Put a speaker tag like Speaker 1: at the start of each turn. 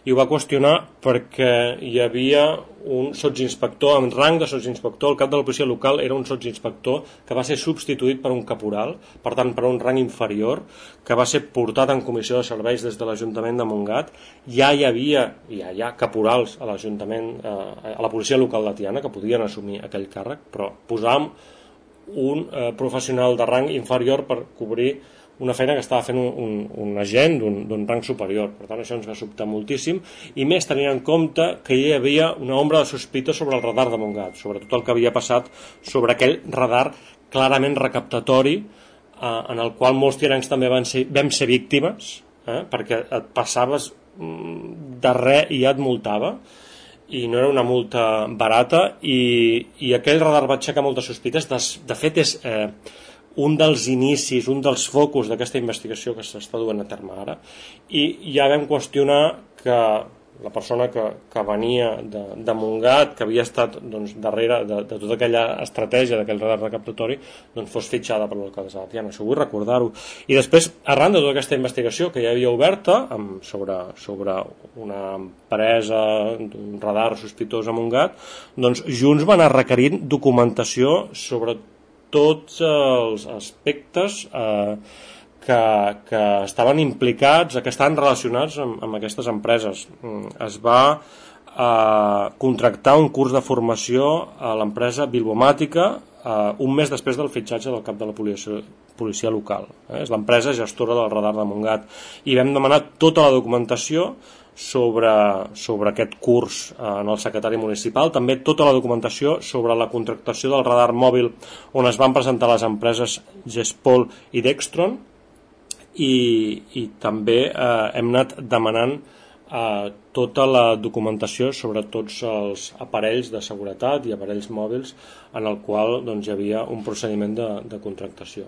Speaker 1: i ho va qüestionar perquè hi havia un sotsinspector amb rang de sotsinspector. El cap de la policia local era un sotsinspector que va ser substituït per un caporal, per tant per un rang inferior, que va ser portat en comissió de serveis des de l'Ajuntament de Montgat. Ja hi ha caporals a l'Ajuntament, a la policia local de Tiana, que podien assumir aquell càrrec, però posàvem un professional de rang inferior per cobrir una feina que estava fent un agent d'un rang superior. Per tant, això ens va sobtar moltíssim, i més tenint en compte que hi havia una ombra de sospita sobre el radar de Montgat, sobre tot el que havia passat sobre aquell radar clarament recaptatori, en el qual molts tianencs també vam ser víctimes, perquè et passaves de res i ja et multava, i no era una multa barata, i aquell radar va aixecar moltes sospites. De fet, és un dels inicis, un dels focus d'aquesta investigació que s'està duent a terme ara, i ja vam qüestionar que la persona que venia de Montgat, que havia estat darrere de tota aquella estratègia d'aquell radar recaptatori, fos fitxada per l'alcaldessa de Tiana. Això vull recordar-ho. I després, arran de tota aquesta investigació que ja havia oberta sobre una empresa d'un radar sospitós a Montgat, Junts va anar requerint documentació sobre tots els aspectes que estaven implicats, que estaven relacionats amb aquestes empreses. Es va contractar un curs de formació a l'empresa Bilbomàtica un mes després del fitxatge del cap de la policia local. És l'empresa gestora del radar de Montgat, i vam demanar tota la documentació sobre aquest curs en el secretari municipal, també tota la documentació sobre la contractació del radar mòbil on es van presentar les empreses Gespol i Dextron, i també hem anat demanant tota la documentació sobre tots els aparells de seguretat i aparells mòbils en el qual hi havia un procediment de contractació.